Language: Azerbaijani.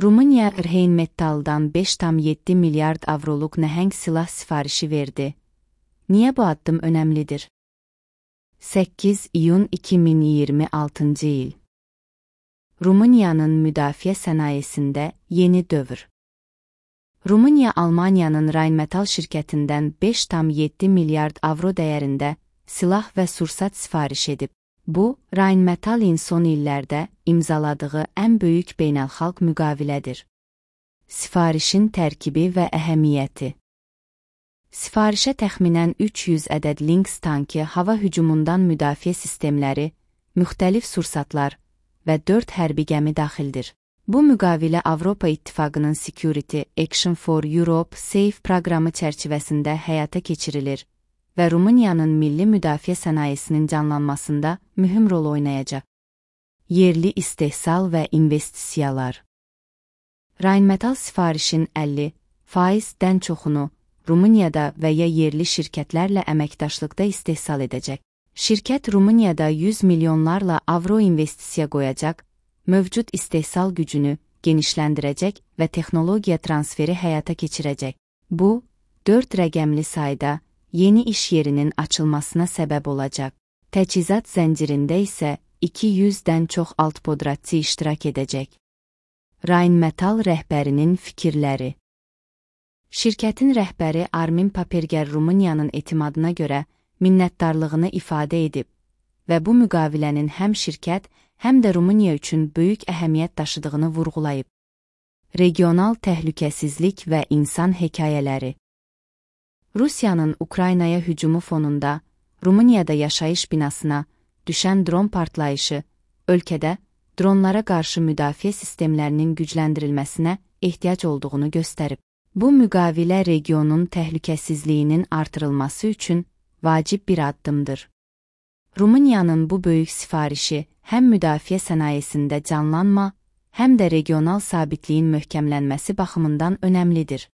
Rumıniya Rheinmetall'dan 5,7 milyard avroluk nəhəng silah sifarişi verdi. Niyə bu addım önəmlidir? 8 iyun 2026 il. Rumıniyanın müdafiə sənayesində yeni dövr. Rumıniya Almaniyanın Rheinmetall şirkətindən 5,7 milyard avro dəyərində silah və sursat sifariş edib. Bu, Rheinmetallin son illərdə imzaladığı ən böyük beynəlxalq müqavilədir. Sifarişin tərkibi və əhəmiyyəti. Sifarişə təxminən 300 ədəd Lynx tankı, hava hücumundan müdafiə sistemləri, müxtəlif sursatlar və 4 hərbi gəmi daxildir. Bu müqavilə Avropa İttifaqının Security Action for Europe SAFE proqramı çərçivəsində həyata keçirilir və Rumıniyanın milli müdafiə sənayesinin canlanmasında mühüm rol oynayacaq. Yerli istehsal və investisiyalar. Rheinmetall sifarişin 50%-dən çoxunu Rumuniyada və ya yerli şirkətlərlə əməkdaşlıqda istehsal edəcək. Şirkət Rumuniyada 100 milyonlarla avro investisiya qoyacaq, mövcud istehsal gücünü genişləndirəcək və texnologiya transferi həyata keçirəcək. Bu, 4 rəqəmli sayda yeni iş yerinin açılmasına səbəb olacaq. Təchizat zəncirində isə 200-dən çox altpodratçı iştirak edəcək. Rheinmetall rəhbərinin fikirləri. Şirkətin rəhbəri Armin Paperger Rumıniyanın etimadına görə minnətdarlığını ifadə edib və bu müqavilənin həm şirkət, həm də Rumıniya üçün böyük əhəmiyyət daşıdığını vurğulayıb. Regional təhlükəsizlik və insan hekayələri. Rusiyanın Ukraynaya hücumu fonunda Rumuniyada yaşayış binasına düşən dron partlayışı ölkədə dronlara qarşı müdafiə sistemlərinin gücləndirilməsinə ehtiyac olduğunu göstərib. Bu müqavilə regionun təhlükəsizliyinin artırılması üçün vacib bir addımdır. Rumıniyanın bu böyük sifarişi həm müdafiə sənayesində canlanma, həm də regional sabitliyin möhkəmlənməsi baxımından önəmlidir.